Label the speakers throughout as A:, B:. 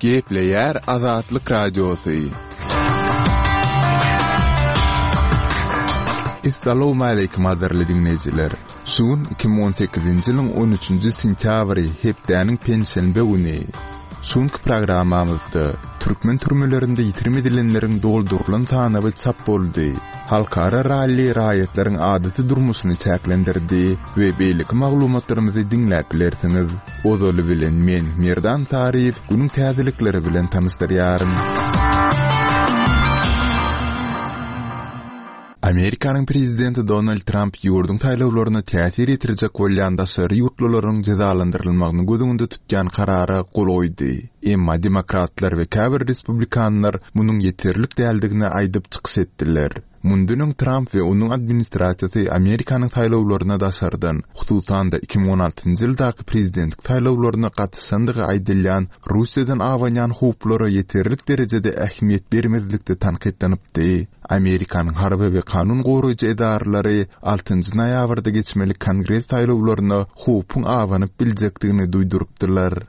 A: Gepleýär Azatlyk Radiosy. Essalawmaleýkim gadyrly diňleýjiler! Şu gün 2018-nji ýylyň on üçünji sentýabry, hepdäniň penşenbe güni. Şu günki programmamyzda türkmen türmelerinde ýitirim edilenleriň doldurylan sanawy çap boldy, halkara ralli raýatlaryň adaty durmuşyny çäklendirdi we beýleki maglumatlarymyzy diňläp bilersiňiz. Ozaly bilen men, Merdan Saryýew, günüň täzelikleri bilen tanyşdyrýaryn. Amerikanyň prezidenti Donald Tramp ýurduň saýlawlaryna täsir ýetirjek bolýan daşary ýurtlularyň jezalandyrylmagyny göz öňünde tutýan karara gol goýdy. Emma demokratlar we käbir respublikanlar munuň ýeterlik däldigini aýdyp çykyş etdiler. Mundan öň Tramp we onuň administrasiýasy Amerikanyň saýlawlaryna daşardan, hususan-da 2016-njy ýyldaky prezidentlik saýlawlaryna gatyşandygy aýdylýan Russiýadan abanýan howplara ýeterlik derejede ähmiýet bermezlikde tankytlanypdy. Amerikanyň harby we kanun goraýjy edaralary altynjy noýabrda geçmeli Kongres saýlawlaryna howpuň abanyp biljekdigini duýdurypdylar.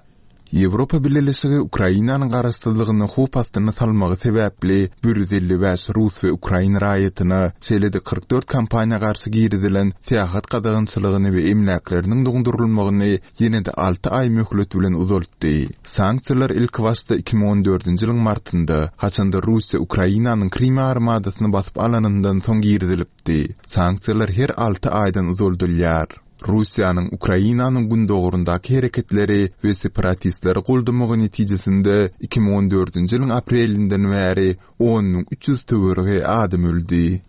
A: Ýewropa Bileleşigi Ukrainanyň garaşsyzlygyny howp astyna salmagy sebäpli 155 rus we ukrain raýatyna, şeýle-de 44 kompaniýa garşy girizilen syýahat gadagançylygyny we emläkleriniň doňdurylmagyny ýene-de alty aý möhlet bilen uzaltdy. Sanksiýalar ilkibaşda 2014-nji ýylyň martynda, haçanda Russiýa Ukrainanyň Krym ýarymadasyny basyp alanyndan soň girizilipdi. Sanksiýalar her alty aýdan uzaldylýar. Russiýanyň Ukrainanyň gündogaryndaky hereketleri we separatistleri goldamagy netijesinde 2014-nji ýylyň aprelinden bäri 10 300 töweregi adam öldi.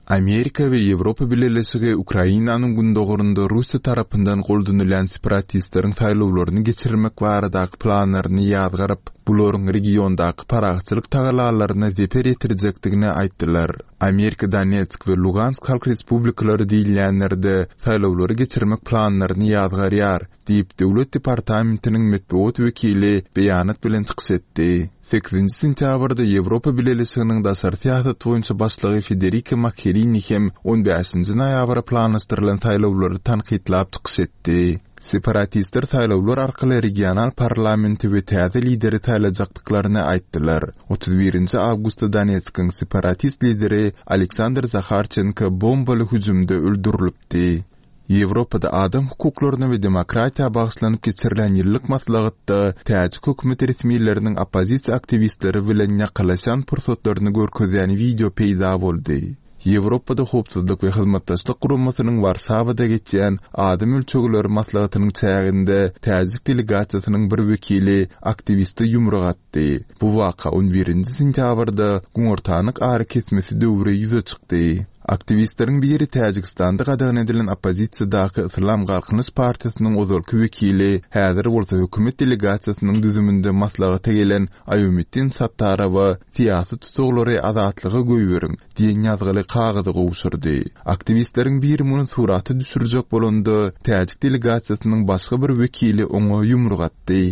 A: Amerika we Ýewropa Bileleşigi Ukrainanyň gündogarynda Russiýa tarapyndan goldanylýan separatistleriň saýlawlaryny geçirmek baradaky planlaryny ýazgaryp, bularyň regiondaky parahatçylyk tagallalaryna zeper ýetirjekdigini aýtdylar. Amerika Donetsk we Lugansk halk respublikalary diýilýänlerde saýlawlary geçirmek planlaryny ýazgarýar, diýip, Döwlet departamentiniň metbugat wekili beýanat bilen çykyş etdi. Sekizinji sentýabrda Ýewropa Bileleşiginiň daşary syýasat boýunça başlygy Federika Mogherini hem on bäşinji noýabra planlaşdyrylan saýlawlary tankytlap çykyş etdi. Separatistler saýlawlar arkaly regional parlamenti we täze lideri saýlajakdyklaryny aýtdylar. Otuz birinji awgustda Donetskiň separatist lideri Aleksandr Zaharçenko bombaly hüjümde öldürilipdi. Ýewropada adam hukuklaryna we demokratiýa bagyşlanyp geçirilen ýyllyk maslahatda täjik hökümet resmileriniň oppozisiýa aktiwistleri bilen ýakalaşýan pursatlaryny görkezýän wideo peýda boldy. Ýewropada Howpsuzlyk we Hyzmatdaşlyk Guramasynyň Warşawada geçýän Adam ölçegleri maslahatynyň çäginde täjik delegasiýasynyň bir wekili aktiwiste ýumruk atdy. Bu waka on birinji sentýabrda günortanlyk arakesmesi döwri ýüze çykdy. Aktiwistleriň biri Täjigistanda gadagan edilen oppozisiýadaky Yslam Galkynyş partiýasynyň ozalky wekili, häzir bolsa hökümet delegasiýasynyň düzüminde maslahata gelen Aýomiddin Sattarowa Syýasy tussaglary azatlyga goýberiň diýen ýazgyly kagyzy gowşurdy. Aktiwistleriň biri muny surata düşürjek bolanda, täjik delegasiýasynyň başga bir wekili oňa ýumruk atdy.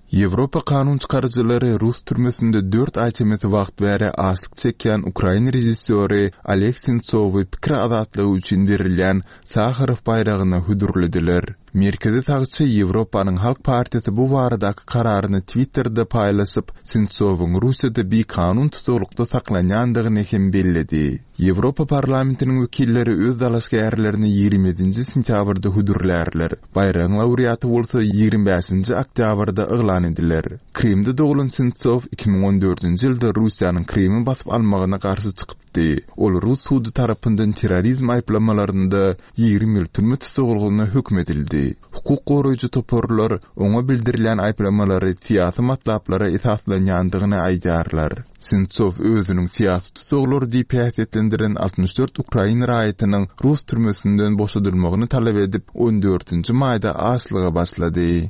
A: Ýewropa kanun çykaryjylary rus türmesinde dört aý çemesi wagt bäri açlyk çekýän ukrain režissýory Oleg Sentsowy pikir azatlygy üçin berilýän Saharow baýragyna hödürlediler. Merkezi sagçy Ýewropanyň Halk partiýasy bu baradaky kararyny Twitterde paýlaşyp, Sentsowyň Russiýada bikanun tusaglykda saklanýandygyny hem belledi. Ýewropa Parlamentiniň wekilleri öz dalaşgärlerini 27-nji sentýabrda hödürlärler, baýragyň laureaty bolsa 25-nji oktýabrda yglan ediler. Krymda doglan Sentsow 2014-nji ýylda Russiýanyň Krymy basyp almagyna garşy çykypdy. Ol rus sudy tarapyndan terrorizm aýyplamalarynda 20 ýyl türme tussaglygyna höküm edildi. Hukuk goraýjy toparlar oňa bildirilýän aýyplamalary syýasy matlaplara esaslanýandygyny aýdýarlar. Sentsow özüniň syýasy tussaglar diýip häsiýetlendiren 64 ukrain raýatynyň rus türmesinden boşadylmagyny talap edip, on dördünji maýda açlyga başlady.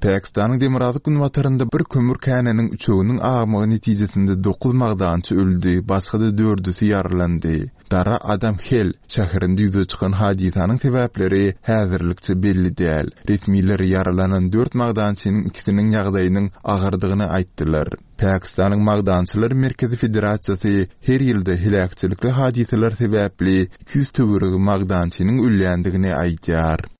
A: Pakistanyň demirgazyk-günbatarynda bir kömür käniniň üçeginiň agmagy netijesinde dokuz magdançy öldi, başga-da dördüsi ýaralandy. Dara Adam Hel şäherinde ýüze çykan hadysanyň sebäpleri häzirlikçe belli däl. Resmiler ýaralanan dört magdançynyň ikisiniň ýagdaýynyň agyrdygyny aýtdylar. Pakistanyň Magdançylar merkezi federasiýasy her ýylda heläkçilikli hadysalar sebäpli 200 töweregi magdançynyň ölýändigini aýdýar.